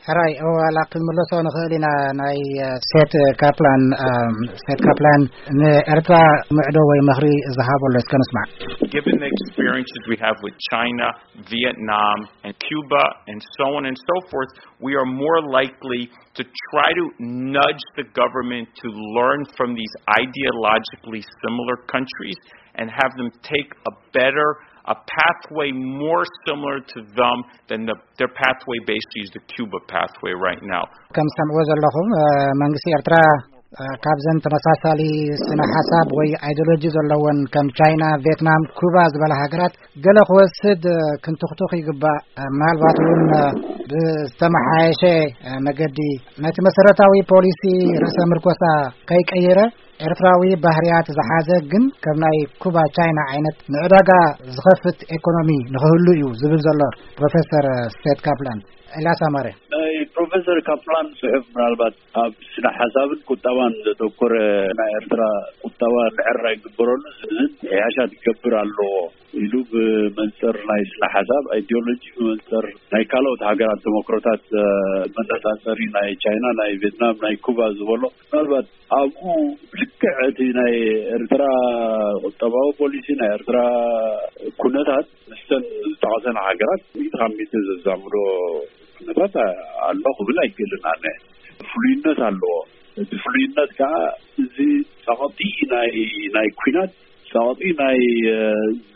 ሕራይ፣ እወ፣ ዋላ ክንምለሶ ንኽእል ኢና። ናይ፣ እ፣ ሴት ካፕላን፣ እ፣ ሴት ካፕላን ንኤርትራ ምዕዶ ወይ ምኽሪ ዝሃቦ ኣሎ፣ እስከ ንስማዕ። Given the experiences we have with China, Vietnam, and Cuba, and so on and so forth, we are more likely to try to nudge the government to learn from these ideologically similar countries and have them take a better, a pathway more similar to them than the, their pathway basically is the Cuba pathway right now. ከም ሰምዕዎ ዘለኹም፣ እ፣ መንግስቲ ኤርትራ፣ እ፣ ካብዘን ተመሳሳሊ ስነ ሓሳብ ወይ ኣይዲዮሎጂ ዘለወን ከም ቻይና፣ ቪየትናም፣ ኩባ ዝበላ ሃገራት ገለ ክወስድ፣ እ፣ ክንትኽቱኽ ይግባእ። እ፣ ምናልባት እውን፣ እ፣ ብዝተመሓየሸ፣ እ፣ መገዲ ነቲ መሰረታዊ ፖሊሲ ርእሰ ምርኮሳ ከይቀየረ ኤርትራዊ ባህርያት ዝሓዘ ግን ከም ናይ ኩባ፣ ቻይና ዓይነት ንዕዳጋ ዝኸፍት ኤኮኖሚ ንኽህሉ እዩ ዝብል ዘሎ ፕሮፌሰር ሴት ካፕላን። ኤልያስ ኣማረ። ናይ ፕሮፌሰር ካፕላን ጽሑፍ ምናልባት ኣብ ስነ ሓሳብን ቁጠባን ዘተኮረ፣ ናይ ኤርትራ ቁጠባ ንዕራ ይግበረሉ፣ ዝን ምሕያሻት ክገብር ኣለዎ ኢሉ ብመንጽር ናይ ስነ ሓሳብ ኣይዲዮሎጂ፣ ብመንጽር ናይ ካልኦት ሃገራት ተመክሮታት፣ እ፣ መነጻጸሪ ናይ ቻይና፣ ናይ ቪየትናም፣ ናይ ኩባ ዝበሎ ምናልባት ኣብኡ ልክዕ እቲ ናይ ኤርትራ ቁጠባዊ ፖሊሲ፣ ናይ ኤርትራ ኩነታት ምስተን ዝጠቐሰን ሃገራት ሚእቲ ካብ ሚእቲ ዘዛምዶ ኩነታት ኣሎ ክብል ኣይክእልን ኣነ። ፍሉይነት ኣለዎ። እቲ ፍሉይነት ከዓ እዚ ጸቕጢ ናይ፣ ናይ ኲናት፣ ጸቕጢ ናይ፣ እ፣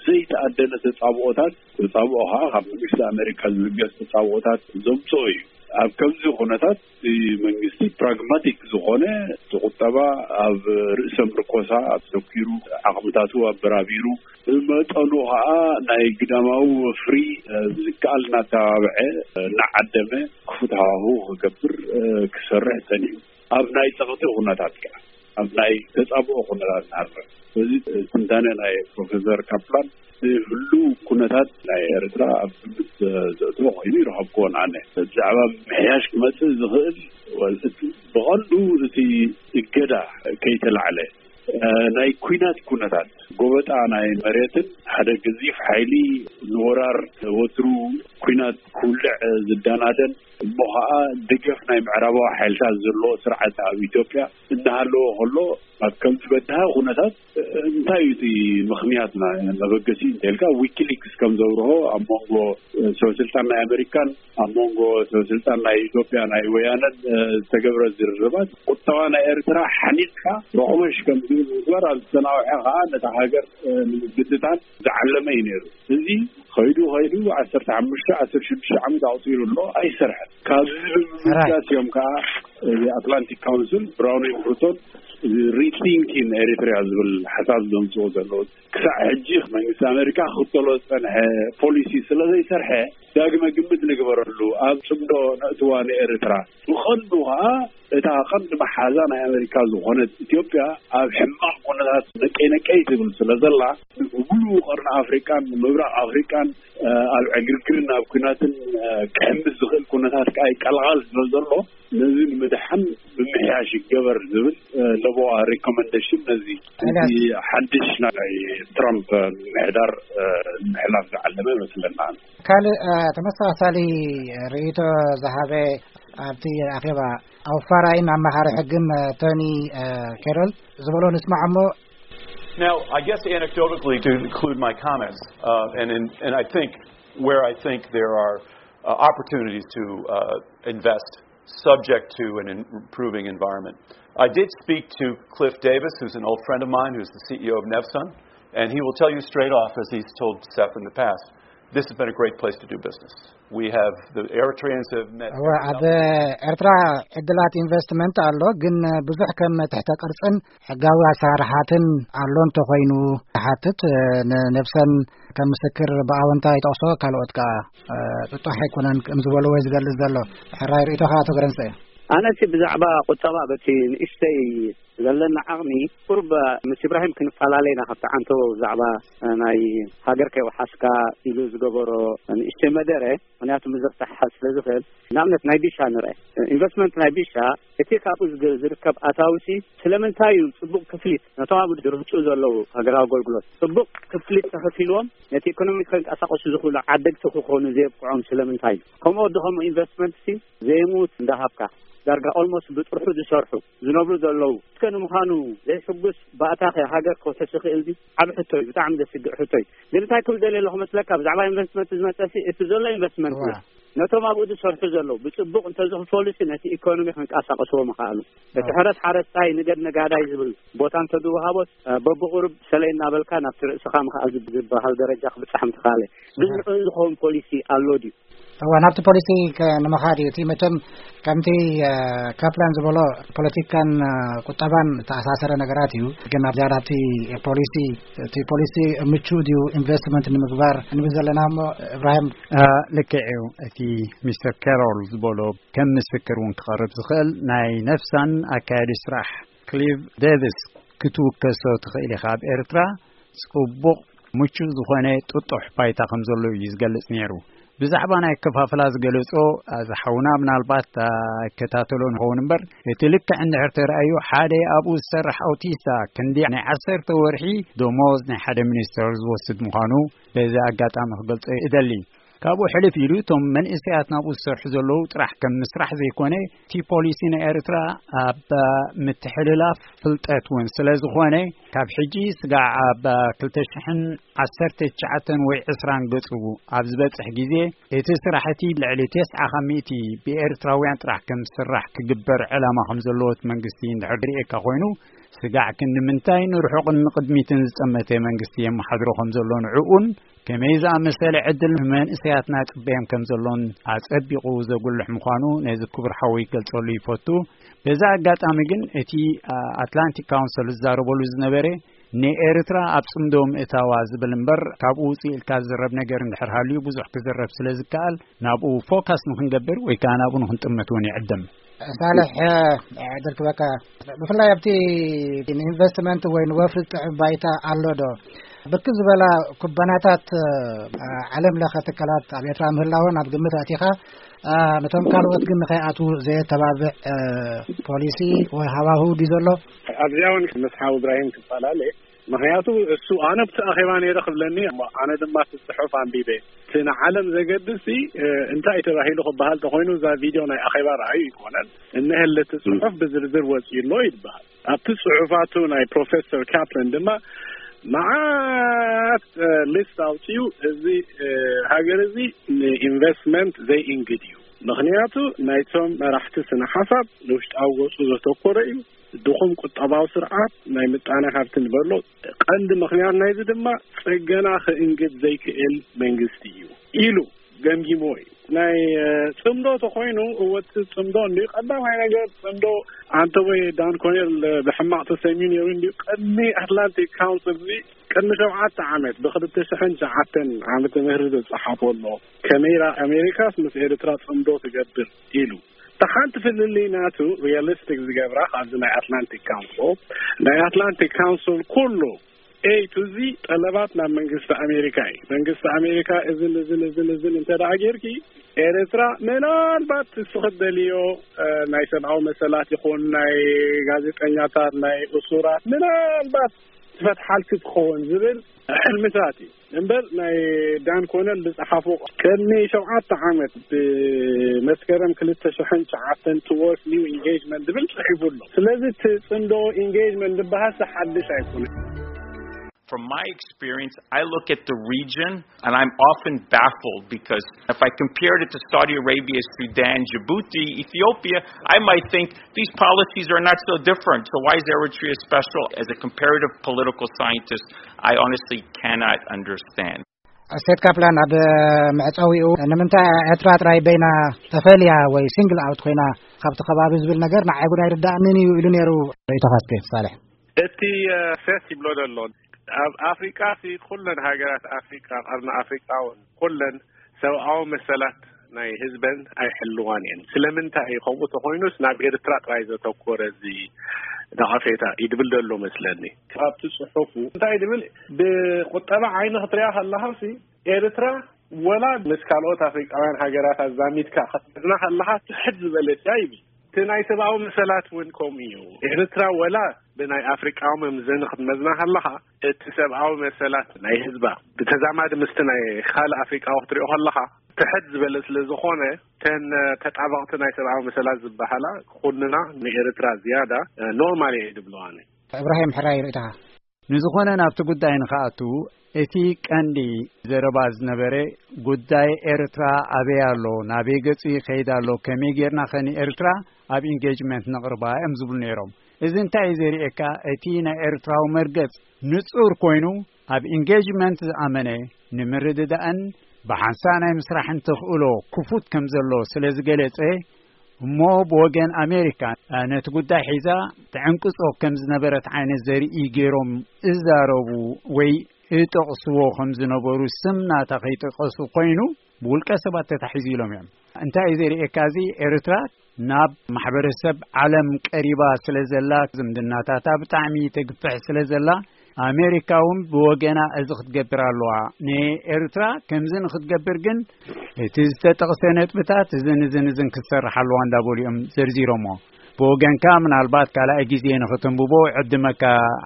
ዘይተኣደነ ተጻብኦታት፣ ተጻብኦ ከዓ ካብ መንግስቲ ኣሜሪካ ዝብገስ ተጻብኦታት ዘምጽኦ እዩ። ኣብ ከምዚ ኩነታት እቲ መንግስቲ ፕራግማቲክ ዝኾነ፣ እቲ ቁጠባ ኣብ ርእሰ ምርኮሳ ኣተኪሩ፣ ዓቕምታቱ ኣበራቢሩ፣ ብመጠኑ ከዓ ናይ ግዳማዊ ወፍሪ፣ እ፣ ዝከኣል እናተባብዐ፣ እ፣ እናዓደመ ክፉት ሃዋህው ክገብር፣ እ፣ ክሰርሕ ጸኒሑ። ኣብ ናይ ጸቕጢ ኩነታት ከዓ፣ ኣብ ናይ ተጻብኦ ኩነታት ንሃድር። በዚ ትንታነ ናይ ፕሮፌሰር ካፕላን፣ ህሉው ኩነታት ናይ ኤርትራ ኣብ ግምት ዘእትዎ ኮይኑ ይረኸብክዎን ኣነ። ብዛዕባ ምሕያሽ ክመጽእ ዝኽእል፣ ወ-፣ እቲ፣ ብቐንዱ እቲ እገዳ ከይተላዕለ፣ እ፣ ናይ ኲናት ኩነታት፣ ጎበጣ ናይ መሬትን ሓደ ገዚፍ ሓይሊ ንወራር ወትሩ ኲናት ክውልዕ ዝደናደን፣ እሞ ኸዓ ደገፍ ናይ ምዕራባዊ ሓይልታት ዘለዎ ስርዓት ኣብ ኢትዮጵያ እናሃለወ ከሎ፣ ኣብ ከምዚ በዳሂ ኩነታት እንታይ እዩ እቲ ምኽንያት ና-፣ መበገሲ እንተልካ፣ ዊኪሊክስ ከም ዘብርሆ ኣብ መንጎ ሰብ ስልጣን ናይ ኣሜሪካን ኣብ መንጎ ሰብ ስልጣን ናይ ኢትዮጵያ ናይ ወያነን ዝተገብረ ዝርርባት ቁጠባ ናይ ኤርትራ ሓኒቕካ ረቑመሽ ከም ዝብል ምግባር ኣብ ዝተናውሐ ኸዓ ነታ ሃገር ንምብትታን ዝዓለመ እዩ ነይሩ። እዚ ኸይዱ ኸይዱ ዓሰርተ ሓሙሽተ ዓሰርተ ሽዱሽተ ዓመት ኣቑጺሩ ኣሎ፣ ኣይሰርሐን። ካብዚ ብምብጋስ እዮም ከዓ እዚ ኣትላንቲክ ካውንስል ብራውን ኤምብርቶን ሪቲንኪን ኤሪትሪያ ዝብል ሓሳብ ዘምፅኦ ዘለዉ ክሳዕ ሕጂ መንግስቲ ኣሜሪካ ክኽተሎ ዝፀንሐ ፖሊሲ ስለ ዘይሰርሐ ዳግመ ግምት ንግበረሉ፣ ኣብ ፅምዶ ነእትዋ ንኤርትራ። ብቐንዱ ከዓ እታ ቀንዲ መሓዛ ናይ ኣሜሪካ ዝኾነት ኢትዮጵያ ኣብ ሕማቕ ኩነታት ነቀይ ነቀይ ትብል ስለ ዘላ፣ ብሙሉኡ ቀርኒ ኣፍሪቃን ምብራቕ ኣፍሪቃን ኣብ ዕግርግርን ኣብ ኩናትን ክሕምስ ዝኽእል ኩነታት ከዓ ይቀላቐል ስለ ዘሎ፣ ነዚ ንምድሓን ብምሕያሽ ይገበር ዝብል ለቦዋ ሪኮመንዴሽን ነዚ ሓድሽ ናይ ትራምፕ ምሕዳር ንምሕላፍ ዝዓለመ ይመስለና። ካልእ ተመሳሳሊ ርእይቶ ዝሃበ ኣብቲ ኣኼባ ኣውፋራይን ኣማኻሪ ሕግን ቶኒ ኬሮል ዝበሎ ንስማዕ እሞ። Now, I guess anecdotally, to include my comments, uh, and, and and I think where I think there are uh, opportunities to uh, invest, subject to an improving environment. I did speak to Cliff Davis, who's an old friend of mine, who's the C E O of Nevsun, and he will tell you straight off, as he's told Seth in the past, this has been a great place to do business. We have the Eritreans have met. እወ ኣብ ኤርትራ ዕድላት ኢንቨስትመንት ኣሎ፣ ግን ብዙሕ ከም ትሕተ ቅርጽን ሕጋዊ ኣሰራርሓትን ኣሎ እንተኾይኑ። ሓትት ንነብሰን ከም ምስክር ብኣወንታ ይጠቕሶ፣ ካልኦት ከዓ ጥጡሕ ኣይኮነን ከም ዝበልዎ ዝገልጽ ዘሎ። ሕራይ ርእይቶኻ ኣቶ ገረንሰ። ኣነሲ ብዛዕባ ቁጠባ በቲ ንእሽተይ ዘለና ዓቕሚ ቁርብ ምስ ኢብራሂም ክንፈላለ ኢና። ካብቲ ዓንተቦ ብዛዕባ ናይ ሃገር ከይወሓስካ ኢሉ ዝገበሮ ንእሽተይ መደረ፣ ምክንያቱ ምዝርታሕ ስለ ዝኽእል። ንኣብነት ናይ ቢሻ ንርአ። ኢንቨስትመንት ናይ ቢሻ እቲ ካብኡ ዝርከብ ኣታውሲ ስለምንታይ እዩ ጽቡቕ ክፍሊት ነቶም ኣብ ድርህጹ ዘለዉ ሃገራዊ ኣገልግሎት ጽቡቕ ክፍሊት ተኸፊልዎም ነቲ ኢኮኖሚ ከንቀሳቐሱ ዝኽእሉ ዓደግቲ ክኾኑ ዘየብቅዖም ስለምንታይ እዩ? ከምኡ ወዲ ከምኡ ኢንቨስትመንት ሲ ዘይሙት እንዳሃብካ ዳርጋ ኦልሞስት ብጥርሑ ዝሰርሑ ዝነብሩ ዘለዉ እስከ ንምዃኑ ዘይሕጉስ ባእታኸ ሃገር ክውሕስ ይኽእል ድዩ? ዓብ ሕቶ እዩ፣ ብጣዕሚ ዘስግእ ሕቶ እዩ። ግን እንታይ ክብል ደልየ ኣለኹ መስለካ፣ ብዛዕባ ኢንቨስትመንት ዝመፀ ሲ እቲ ዘሎ ኢንቨስትመንት እዩ። ነቶም ኣብኡ ዝሰርሑ ዘለዉ ብፅቡቕ እንተዝኽፈሉ ሲ ነቲ ኢኮኖሚ ክንቀሳቀስዎ ምኽኣሉ። እቲ ሕረስ ሓረስታይ ንገድ ነጋዳይ ዝብል ቦታ እንተዝወሃቦ በብቁሩብ ሰለይ እናበልካ ናብቲ ርእስኻ ምኽኣል ዝበሃል ደረጃ ክብፃሕ ምትኽኣለ። ግን ንዕኡ ዝኸውን ፖሊሲ ኣሎ ድዩ? እዋ ናብቲ ፖሊሲ ንምኻድ እዩ እቲ መቸም ከምቲ ካፕላን ዝበሎ ፖለቲካን ቁጠባን ተኣሳሰረ ነገራት እዩ። ግን ኣብ ዝያዳ ኣብቲ ፖሊሲ እቲ ፖሊሲ ምቹእ ድዩ ኢንቨስትመንት ንምግባር ንብል ዘለና እሞ እብራሂም። ልክዕ እዩ። እቲ ሚስተር ካሮል ዝበሎ ከም ምስክር እውን ክቐርብ ዝኽእል ናይ ነፍሳን ኣካያዲ ስራሕ ክሊቭ ዴቪስ ክትውከሶ ትኽእል ኢኻ። ኣብ ኤርትራ ጽቡቕ ምቹእ ዝኾነ ጥጡሕ ባይታ ከም ዘሎ እዩ ዝገልጽ ነይሩ። ብዛዕባ ናይ ኣከፋፍላ ዝገለጾ እዚ ሓውና ምናልባት ኣይከታተሎ ንኸውን እምበር እቲ ልክዕ እንድሕር ተራእዩ ሓደ ኣብኡ ዝሰርሕ ኣውቲስታ ክንዲ ናይ ዓሰርተ ወርሒ ደሞዝ ናይ ሓደ ሚኒስተር ዝወስድ ምዃኑ በዚ ኣጋጣሚ ክገልጾ እደሊ። ካብኡ ሕልፍ ኢሉ እቶም መንእሰያት ናብኡ ዝሰርሑ ዘለዉ ጥራሕ ከም ምስራሕ ዘይኮነ እቲ ፖሊሲ ናይ ኤርትራ ኣብ ምትሕልላፍ ፍልጠት እውን ስለ ዝኾነ ካብ ሕጂ ስጋዕ ኣብ ክልተ ሽሕን ዓሰርተ ትሽዓተን ወይ ዕስራን ገጹ ኣብ ዝበጽሕ ግዜ እቲ ስራሕ እቲ ልዕሊ ተስዓ ካብ ሚእቲ ብኤርትራውያን ጥራሕ ከም ዝስራሕ ክግበር ዕላማ ከም ዘለዎ እቲ መንግስቲ እንድሕር ዝርእየካ ኮይኑ ስጋዕ ክንዲ ምንታይ ንርሑቕን ንቕድሚትን ዝጸመተ መንግስቲ የመሓድሮ ከም ዘሎ ንዕኡን ከመይ ዝኣመሰለ ዕድል ንመንእሰያትና ጽበዮም ከም ዘሎን ኣጸቢቑ ዘጉልሕ ምዃኑ ነዚ ክቡር ሓወይ ክገልጸሉ ይፈቱ። በዚ ኣጋጣሚ ግን እቲ ኣትላንቲክ ካውንስል ዝዛረበሉ ዝነበረ ንኤርትራ ኣብ ጽምዶ ምእታዋ ዝብል እምበር ካብኡ ውጽእ ኢልካ ዝዝረብ ነገር እንድሕር ሃልዩ ብዙሕ ክዝረብ ስለ ዝከኣል ናብኡ ፎካስ ንክንገብር ወይ ከዓ ናብኡ ንክንጥምት እውን ይዕድም። ሳልሕ ዕድል ክበካ ብፍላይ ኣብቲ ንኢንቨስትመንት ወይ ንወፍሪ ዝጥዕም ባይታ ኣሎ ዶ? ብርክት ዝበላ ኩባንያታት ዓለም ለኸ ትካላት ኣብ ኤርትራ ምህላወን ኣብ ግምት ኣእቲኻ ነቶም ካልኦት ግን ንኸይኣትዉ ዘየተባብዕ ፖሊሲ ወይ ሃዋህው ድዩ ዘሎ? ኣብዚኣ እውን ምስ ሓው እብራሂም ክፈላለ ምክንያቱ እሱ ኣነ ኣብቲ ኣኼባ ነይረ ክብለኒ እሞ ኣነ ድማ እቲ ጽሑፍ ኣንቢበ እቲ ንዓለም ዘገድስ ሲ እንታይ ተባሂሉ ክበሃል ተኮይኑ እዛ ቪድዮ ናይ ኣኼባ ረኣዩ ይኮነን እነሀለ እቲ ጽሑፍ ብዝርዝር ወጺኡ ኣሎ ይበሃል ኣብቲ ጽሑፋቱ ናይ ፕሮፌሰር ካፕለን ድማ መዓት ሊስት ኣውጺኡ እዚ ሃገር እዚ ንኢንቨስትመንት ዘይእንግድ እዩ ምክንያቱ ናይቶም መራሕቲ ስነ ሓሳብ ንውሽጣዊ ገጹ ዘተኮረ እዩ ድኹም ቁጠባዊ ስርዓት ናይ ምጣነ ሃብቲ ንበሎ ቀንዲ ምኽንያት ናይዚ ድማ ጽገና ክእንግድ ዘይክእል መንግስቲ እዩ ኢሉ ገምጊምዎ እዩ። ናይ ጽምዶ ተኾይኑ፣ እወ፣ እቲ ጽምዶ እንዲ ቀዳማይ ነገር ጽምዶ ኣንተ ወይ ዳን ኮኔል ብሕማቕ ተሰሚዩ ነይሩ እንዲ። ቅድሚ ኣትላንቲክ ካውንስል እዚ፣ ቅድሚ ሸውዓተ ዓመት፣ ብ2009 ዓመተ ምህረት ዝጸሓፎ ኣሎ። ከመይ ኢላ ኣሜሪካስ ምስ ኤርትራ ጽምዶ ትገብር ኢሉ። እቲ ሓንቲ ፍልልይ ናቱ፣ ሪያሊስቲክ ዝገብራ፣ ካብዚ ናይ ኣትላንቲክ ካውንስል፣ ናይ ኣትላንቲክ ካውንስል ኩሉ ኤ ቱ ዚ ጠለባት ናብ መንግስቲ ኣሜሪካ እዩ። መንግስቲ ኣሜሪካ እዝን፣ እዝን፣ እዝን፣ እዝን እንተ ደኣ ጌርኪ፣ ኤርትራ ምናልባት እስኺ ትደልዮ፣ እ፣ ናይ ሰብኣዊ መሰላት ይኹን ናይ ጋዜጠኛታት፣ ናይ እሱራት ምናልባት ትፈትሓልኪ ትኸውን ዝብል ሕልምታት እዩ። እምበር ናይ ዳን ኮነል ዝጸሓፎ ቅድሚ ሸውዓተ ዓመት ብመስከረም ክልተ ሽሕን ትሽዓተን towards new engagement ዝብል ጽሒፉ ኣሎ። ስለዚ እቲ ጽምዶ ኢንጌጅመንት ዝበሃል ሓድሽ ኣይኮነን። From my experience, I look at the region and I'm often baffled because if I compared it to Saudi Arabia, Sudan, Djibouti, Ethiopia, I might think these policies are not so different. So why is Eritrea special? As a comparative political scientist, I honestly cannot understand. ሴት ካፕላን ኣብ መዕጸዊኡ፣ ንምንታይ ኤርትራ ጥራይ በይና ተፈልያ ወይ ሲንግል ኣውት ኮይና ካብቲ ከባቢ ዝብል ነገር ንዓይ ጉዳይ ርዳእንን እዩ ኢሉ ነይሩ። ርእይቶኻ እስከ ሳልሕ። እቲ ሴት ይብሎ ዘሎ፣ ኣብ ኣፍሪቃ ሲ ኩለን ሃገራት ኣፍሪቃ፣ ቀርኒ ኣፍሪቃ እውን ኩለን ሰብኣዊ መሰላት ናይ ህዝበን ኣይሕልዋን እየን። ስለምንታይ እዩ ከምኡ ተኾይኑስ ናብ ኤርትራ ጥራይ ዘተኮረ እዚ ነቐፌታ ይድብል ዘሎ መስለኒ። ካብቲ ጽሑፉ እንታይ ድብል፣ ብቁጠባ ዓይኒ ክትሪኣ ከለኻ ሲ ኤርትራ ወላ ምስ ካልኦት ኣፍሪቃውያን ሃገራት ኣዛሚድካ ክትመዝና ከለኻ ትሕት ዝበለት እያ ይብል። እቲ ናይ ሰብኣዊ መሰላት እውን ከምኡ እዩ። ኤርትራ ወላ ብናይ ኣፍሪቃዊ መምዘኒ ክትመዝና ከለኻ እቲ ሰብኣዊ መሰላት ናይ ህዝባ ብተዛማዲ ምስቲ ናይ ካልእ ኣፍሪቃዊ ክትሪኦ ከለኻ ትሕት ዝበለ ስለ ዝኾነ፣ ተን ተጣበቕቲ ናይ ሰብኣዊ መሰላት ዝበሃላ ክኹንና ንኤርትራ ዝያዳ ኖርማል እየ ድብለዋኒ። እብራሂም ሕራይ ርእይቶኻ? ንዝኾነ ናብቲ ጉዳይ ንኽኣቱ፣ እቲ ቀንዲ ዘረባ ዝነበረ ጉዳይ ኤርትራ ኣበይ ኣሎ፣ ናበይ ገጹ ይኸይድ ኣሎ፣ ከመይ ጌርና ኸ ንኤርትራ ኣብ ኢንጌጅመንት ነቕርባ እዮም ዝብሉ ነይሮም። እዚ እንታይ እዩ ዘርእየካ? እቲ ናይ ኤርትራዊ መርገጽ ንጹር ኮይኑ፣ ኣብ ኢንጌጅመንት ዝኣመነ፣ ንምርድዳእን ብሓንሳእ ናይ ምስራሕን ተኽእሎ ክፉት ከም ዘሎ ስለ ዝገለጸ፣ እሞ ብወገን ኣሜሪካ ነቲ ጉዳይ ሒዛ ትዕንቅጾ ከም ዝነበረት ዓይነት ዘርኢ ገይሮም እዛረቡ ወይ እጠቕስዎ ከም ዝነበሩ፣ ስም ናታ ከይጠቐሱ ኮይኑ ብውልቀ ሰባት ተታሒዙ ኢሎም እዮም። እንታይ እዩ ዘርእየካ? እዚ ኤርትራ ናብ ማሕበረሰብ ዓለም ቀሪባ ስለ ዘላ፣ ዝምድናታታ ብጣዕሚ ተግፍሕ ስለ ዘላ፣ ኣሜሪካ እውን ብወገና እዚ ክትገብር ኣለዋ። ንኤርትራ ከምዚ ንክትገብር ግን እቲ ዝተጠቕሰ ነጥብታት እዝን እዝን እዝን ክትሰርሕ ኣለዋ እንዳበሉ እዮም ዘርዚሮሞ። ብወገንካ ምናልባት ካልኣይ ግዜ ንክትንብቦ ዕድመካ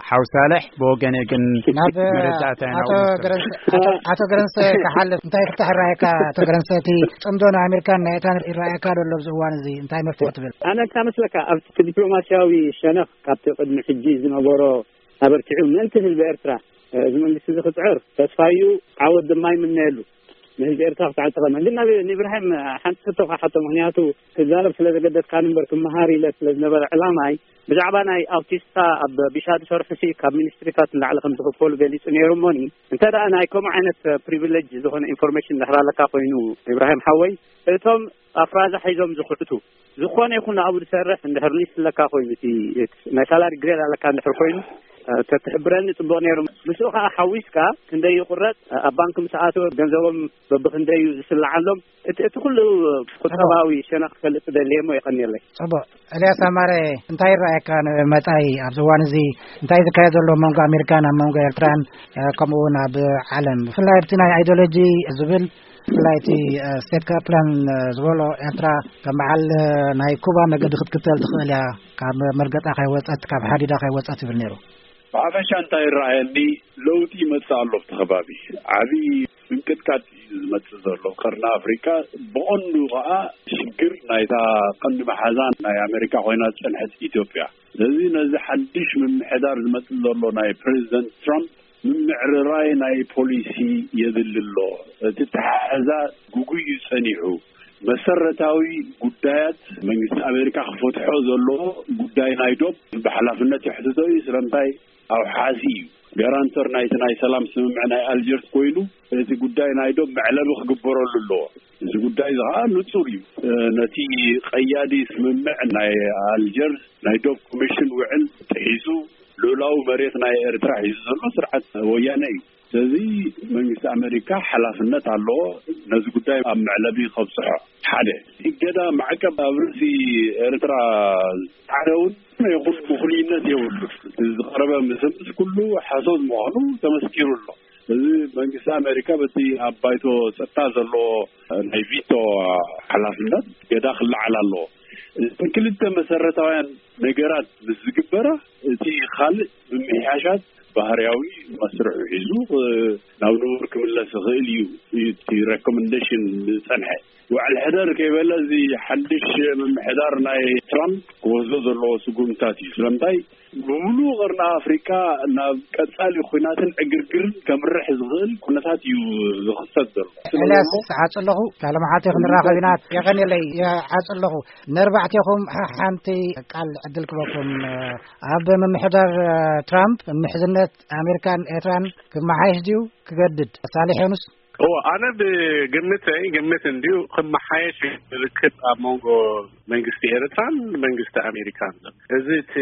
ሓው ሳልሕ፣ ብወገነይ ግን ናብ መረዳእታ ኢና ኣቶ ውስን። ገረንሰ፣ ኣቶ፣ ኣቶ ገረንሰ ክሓልፍ እንታይ ፍታሕ ይረኣየካ? ኣቶ ገረንሰ፣ እቲ ጽምዶ ናይ ኣሜሪካን ናይ ኤርትራን ይረኣየካ ዶ ኣሎ ኣብዚ እዋን እዚ? እንታይ መፍትሒ ትብል? ኣነ እንታይ መስለካ፣ ኣብቲ ዲፕሎማስያዊ ሸነኽ ካብቲ ቅድሚ ሕጂ ዝነበሮ ኣበርቲዑ ምእንቲ ህዝቢ ኤርትራ፣ እ፣ እዚ መንግስቲ እዚ ክጽዕር ተስፋዩ ዓወት ድማ ይምነየሉ። ንህዝቢ ኤርትራ ክትዓል ጠቐመ። ግን ናብ ንኢብራሂም ሓንቲ ሕቶ ክሓቶ፣ ምኽንያቱ ክዛረብ ስለ ዘገደስካኒ እምበር ክመሃር ኢለ ስለ ዝነበረ ዕላማይ፣ ብዛዕባ ናይ ኣውቲስታ ኣብ ቢሻ ዝሰርሑ ሲ ካብ ሚኒስትሪታት ንላዕሊ ከም ዝኽፈሉ ገሊጹ ነይሩ። እሞኒ እንተ ደኣ ናይ ከምኡ ዓይነት ፕሪቪሌጅ ዝኾነ ኢንፎርሜሽን ድሕር ኣለካ ኮይኑ፣ ኢብራሂም ሓወይ፣ እቶም ኣፍራዛ ሒዞም ዝኽዕቱ፣ ዝኾነ ይኹን ኣብኡ ዝሰርሕ እንድሕር ሊስት ኣለካ ኮይኑ፣ እቲ ናይ ሳላሪ ግሬድ ኣለካ እንድሕር ኮይኑ፣ እ፣ ተትሕብረኒ ጽቡቕ ነይሩ። ምስኡ ከኣ ሓዊስካ ክንደይ ይቑረጽ፣ ኣብ ባንክ ምስ ኣተወ ገንዘቦም በብኽንደይ እዩ ዝስልዓሎም፣ እቲ፣ እቲ ኩሉ ቁጠባዊ ሸነኽ ክፈልጥ ደልየ እሞ የቐንየለይ። ጽቡቕ። ኤልያስ ኣማረ፣ እንታይ ይረኣየካ ንመጻኢ ኣብዚ እዋን እዚ እንታይ ዝካየድ ዘሎ ኣብ መንጎ ኣሜሪካን ኣብ መንጎ ኤርትራን፣ እ፣ ከምኡ እውን ኣብ ዓለም፣ ብፍላይ ኣብቲ ናይ ኣይዲዮሎጂ ዝብል፣ ብፍላይ እቲ፣ እ፣ ስቴት ካፕላን፣ እ፣ ዝበሎ፣ ኤርትራ ከም በዓል፣ እ፣ ናይ ኩባ መገዲ ክትክተል ትኽእል እያ፣ ካብ መርገጣ ከይወጸት፣ ካብ ሓዲዳ ከይወጸት ይብል ነይሩ። ብሓፈሻ እንታይ ይረኣየኒ፣ ለውጢ ይመጽእ ኣሎ ኣብቲ ከባቢ። ዓቢ ምንቅጥቃጥ እዩ ዝመጽእ ዘሎ። ቀርኒ ኣፍሪቃ ብቐንዱ ከኣ ሽግር ናይታ ቀንዲ መሓዛ ናይ ኣሜሪካ ኮይና ዝጸንሐት ኢትዮጵያ። ስለዚ ነዚ ሓድሽ ምምሕዳር ዝመጽእ ዘሎ ናይ ፕሬዚደንት ትራምፕ ምምዕርራይ ናይ ፖሊሲ የድሊ ኣሎ። እቲ ተሓሕዛ ጉጉይ እዩ ጸኒሑ። መሰረታዊ ጉዳያት መንግስቲ ኣሜሪካ ክፈትሖ ዘለዎ ጉዳይ ናይ ዶብ ብሓላፍነት የሕትቶ እዩ። ስለምንታይ? ኣውሓሲ እዩ። ጋራንተር ናይቲ ናይ ሰላም ስምምዕ ናይ ኣልጀርስ ኮይኑ፣ እቲ ጉዳይ ናይ ዶብ መዕለቢ ክግበረሉ ኣለዎ። እዚ ጉዳይ እዚ ከዓ ንጹር እዩ። ነቲ ቀያዲ ስምምዕ ናይ ኣልጀርስ ናይ ዶብ ኮሚሽን ውዕል ጥሒሱ፣ ልኡላዊ መሬት ናይ ኤርትራ ሒዙ ዘሎ ስርዓት ወያነ እዩ። ስለዚ መንግስቲ ኣሜሪካ ሓላፍነት ኣለዎ ነዚ ጉዳይ ኣብ መዕለቢ ከብፅሖ። ሓደ፣ እገዳ ማዕቀብ ኣብ ርእሲ ኤርትራ ዝጣዕረ እውን ይኹን ምኽንይነት የብሉ። ዝቐረበ ምስምስ ኩሉ ሓሶት ምዃኑ ተመስኪሩ ኣሎ። እዚ መንግስቲ ኣሜሪካ በቲ ኣብ ባይቶ ጸጥታ ዘለዎ ናይ ቪቶ ሓላፍነት ገዳ ክለዓል ኣለዎ። እተን ክልተ መሰረታውያን ነገራት ምስ ዝግበራ፣ እቲ ካልእ ምምሕያሻት ባህርያዊ መስርሑ ሒዙ ናብ ንቡር ክምለስ ይኽእል እዩ። እቲ ሬኮመንዴሽን ዝጸንሐ ውዕል ሕደር ከይበለ፣ እዚ ሓድሽ ምምሕዳር ናይ ትራምፕ ክወስዶ ዘለዎ ስጉምታት እዩ። ስለምንታይ? ብምሉእ ቀርኒ ኣፍሪቃ ናብ ቀጻሊ ኹናትን ዕግርግርን ከምርሕ ዝኽእል ኩነታት እዩ ዝኽሰት ዘሎ። ኤልያስ፣ ሓጽ ኣለኹ። ካልእ መዓልቲ ክንራኸብ ኢና። የቐንየለይ፣ ሓጽ ኣለኹ። ነርባዕቴኹም ሓንቲ ቃል ዕድል ክበኩም። ኣብ ምምሕዳር ትራምፕ ምሕዝነት ኣሜሪካን ኤርትራን ክመሓየሽ ድዩ ክገድድ? ሳሌሕ ዮኑስ። እዎ፣ ኣነ ብግምተይ፣ ግምት እንድዩ፣ ክመሓየሽ ርክብ ኣብ መንጎ መንግስቲ ኤርትራን መንግስቲ ኣሜሪካን ዘሎ። እዚ እቲ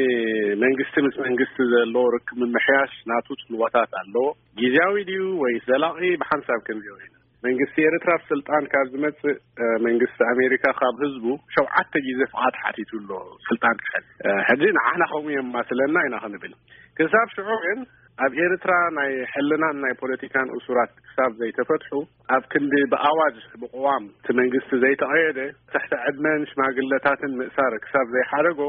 መንግስቲ ምስ መንግስቲ ዘለዎ ርክብ ምምሕያሽ ናቱ ጽልዋታት ኣለዎ። ግዝያዊ ድዩ ወይስ ዘላቒ? ብሓንሳብ ክንሪኦ ኢና። መንግስቲ ኤርትራ ኣብ ስልጣን ካብ ዝመጽእ፣ እ፣ መንግስቲ ኣሜሪካ ካብ ህዝቡ ሸውዓተ ግዜ ፍቓድ ሓቲቱ ኣሎ ስልጣን ክሕዝ። እ፣ ሕጂ ንዓና ከምኡ የማስለና ኢና ክንብል። ክሳብ ሽዑ ግን ኣብ ኤርትራ ናይ ሕልናን ናይ ፖለቲካን እሱራት ክሳብ ዘይተፈትሑ፣ ኣብ ክንዲ ብኣዋጅ ብቅዋም እቲ መንግስቲ ዘይተቐየደ፣ ትሕቲ ዕድመን ሽማግለታትን ምእሳር ክሳብ ዘይሓደጎ፣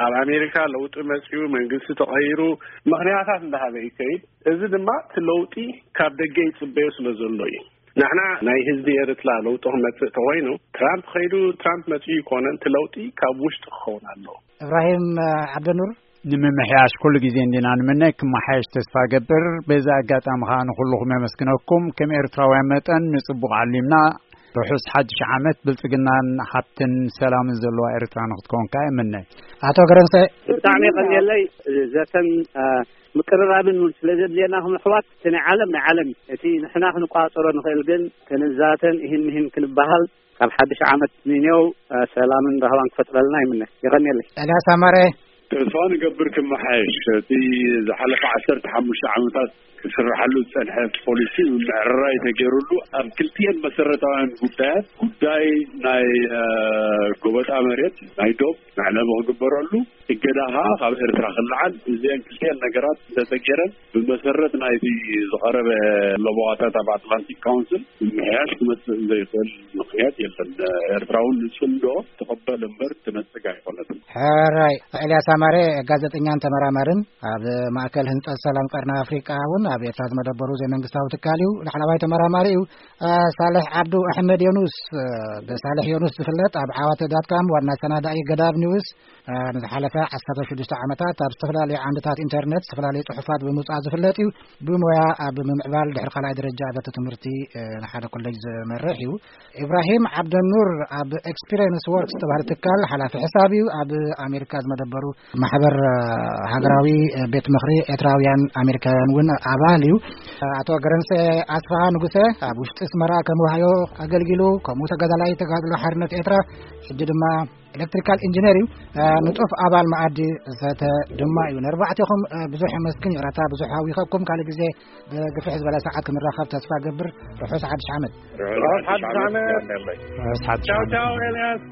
ኣብ ኣሜሪካ ለውጢ መጺኡ መንግስቲ ተቐይሩ ምኽንያታት እንዳሃበ ይከይድ። እዚ ድማ እቲ ለውጢ ካብ ደገ ይጽበዮ ስለ ዘሎ እዩ። ንሕና ናይ ህዝቢ ኤርትራ ለውጢ ክመጽእ ተኾይኑ ትራምፕ ከይዱ ትራምፕ መጺኡ ይኮነን፣ እቲ ለውጢ ካብ ውሽጢ ክኸውን ኣለዎ። እብራሂም ዓብደኑር። ንምምሕያሽ ኩሉ ግዜ እንዲና ንምነ፣ ክመሓየሽ ተስፋ ገብር። በዚ ኣጋጣሚ ኸኣ ንኹልኹም የመስግነኩም። ከም ኤርትራውያን መጠን ንጽቡቕ ዓሊምና። ርሑስ ሓድሽ ዓመት ብልጽግናን ሃብትን ሰላምን ዘለዋ ኤርትራ ንኽትከውን ከኣ ይምነ። ኣቶ ገረንሰ። ብጣዕሚ የቐንየለይ። ዘተን፣ አ፣ ምቅርራብን እውን ስለ ዘድልየና፣ ከም ኣሕዋት፣ እቲ ናይ ዓለም፣ ናይ ዓለም እዩ። እቲ ንሕና ክንቋጸሮ ንኽእል ግን ክንዛተን ይህን ይህን ክንበሃል፣ ካብ ሓድሽ ዓመት ንኔው፣ አ፣ ሰላምን ራህዋን ክፈጥረልና ይምነ። የቐንየለይ። ኤልያስ ኣማረ። ተስፋ ንገብር ክመሓየሽ። እቲ ዝሓለፈ ዓሰርተ ሓሙሽተ ዓመታት ክስርሓሉ ዝጸንሐ ፖሊሲ ምምዕርራይ ተገይሩሉ፣ ኣብ ክልቲኤን መሰረታውያን ጉዳያት፣ ጉዳይ ናይ፣ እ፣ ጎበጣ መሬት፣ ናይ ዶብ መዕለቢ ክግበረሉ፣ እገዳ ኸኣ ካብ ኤርትራ ክለዓል፣ እዚአን ክልቲኤን ነገራት እንተተገይረን፣ ብመሰረት ናይቲ ዝቐረበ ለበዋታት ኣብ ኣትላንቲክ ካውንስል ምምሕያሽ ክመጽእ ዘይኽእል ምኽንያት የለን። ኤርትራ እውን ንጽምዶ ትቕበል እምበር ትነጽግ ኣይኮነትን። ሕራይ። ኤልያስ ኣማረ፣ ጋዜጠኛን ተመራማርን፣ ኣብ ማእከል ህንጸት ሰላም ቀርኒ ኣፍሪቃ እውን ኣብ ኤርትራ ዝመደበሩ ዘይመንግስታዊ ትካል እዩ። ላዕለዋይ ተመራማሪ እዩ። እ፣ ሳልሕ ዓብዱ ኣሕመድ ዮኑስ፣ እ፣ ብሳልሕ ዮኑስ ዝፍለጥ፣ ኣብ ዓዋተ ዳትካም ዋና ሰናዳኢ ገዳብ ኒውስ፣ እ፣ ንዝሓለፈ ዓሰርተ ሽዱሽተ ዓመታት ኣብ ዝተፈላለዩ ዓምድታት ኢንተርነት ዝተፈላለዩ ጽሑፋት ብምውጻእ ዝፍለጥ እዩ። ብሞያ ኣብ ምምዕባል ድሕሪ ካልኣይ ደረጃ ኣብያተ ትምህርቲ፣ እ፣ ንሓደ ኮሌጅ ዝመርሕ እዩ። ኢብራሂም ዓብደኑር ኣብ ኤክስፒሪየንስ ወርክስ ዝተባህለ ትካል ሓላፊ ሕሳብ እዩ። ኣብ ኣሜሪካ ዝመደበሩ ማሕበር፣ እ፣ ሃገራዊ፣ እ፣ ቤት ምኽሪ ኤርትራውያን ኣሜሪካውያን እውን ኣባል እዩ። ኣቶ ገረንሰ ኣስፍሃ ንጉሰ ኣብ ውሽጢ ኣስመራ ከም ዋህዮ ኣገልጊሉ፣ ከምኡ ተጋዳላይ ተጋድሎ ሓርነት ኤርትራ፣ ሕጂ ድማ ኤሌክትሪካል ኢንጂነር እዩ። እ፣ ንጡፍ ኣባል መኣዲ ዘተ ድማ እዩ። ነርባዕቴኹም፣ እ፣ ብዙሕ የመስግን። ይቕረታ ብዙሕ ኣዊኸኩም። ካልእ ግዜ ብግፍሕ ዝበለ ሰዓት ክንራኸብ ተስፋ ገብር። ርሑስ ሓድሽ ዓመት። ርሑስ ሓድሽ ዓመት። ርሑስ ሓድሽ ቻው ዓመት። ቻው ኤልያስ።